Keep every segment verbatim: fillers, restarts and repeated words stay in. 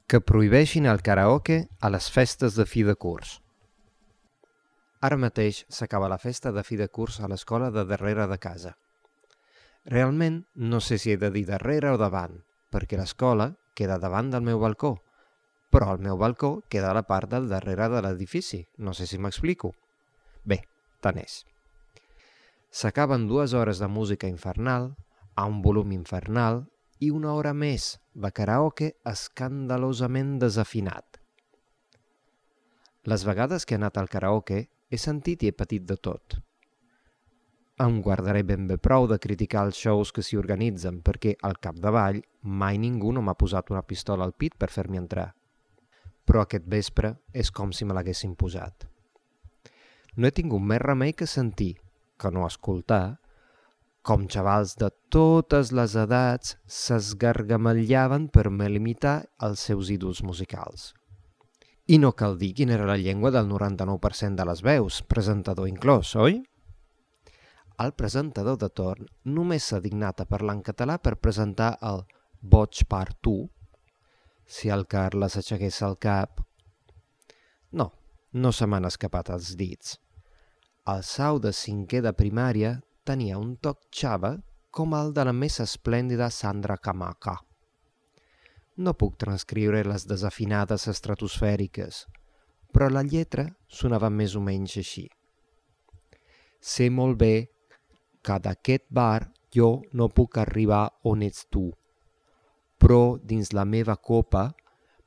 que prohibeixin el karaoke a les festes de fi de curs. Ara mateix s'acaba la festa de fi de curs a l'escola de darrere de casa. Realment no sé si he de dir darrere o davant, perquè l'escola queda davant del meu balcó, però el meu balcó queda a la part del darrere de l'edifici, no sé si m'explico. Bé, tant és. S'acaben dues hores de música infernal, a un volum infernal, i una hora més de karaoke escandalosament desafinat. Les vegades que he anat al karaoke he sentit i he patit de tot. Em guardaré ben bé prou de criticar els shows que s'hi organitzen perquè, al capdavall, mai ningú no m'ha posat una pistola al pit per fer-m'hi entrar. Però aquest vespre és com si me l'haguessin posat. No he tingut més remei que sentir, que no escoltar, com xavals de totes les edats s'esgargamellaven per limitar els seus ídols musicals. I no cal dir quina era la llengua del noranta-nou per cent de les veus, presentador inclòs, oi? El presentador de torn només s'ha dignat a parlar en català per presentar el Boig per tu, si el Carles aixequés el cap. No, no se m'han escapat els dits. El sau de cinquè de primària tenia un toc xava com el de la més esplèndida Sandra Camaca. No puc transcriure les desafinades estratosfèriques, però la lletra sonava més o menys així. Sé molt bé que d'aquest bar jo no puc arribar on ets tu, però dins la meva copa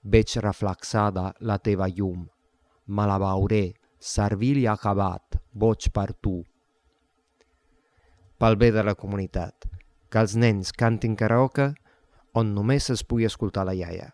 veig reflexada la teva llum. Me la beuré, servil i acabat, boig per tu. Pel bé de la comunitat, que els nens cantin karaoke on només es pugui escoltar la iaia.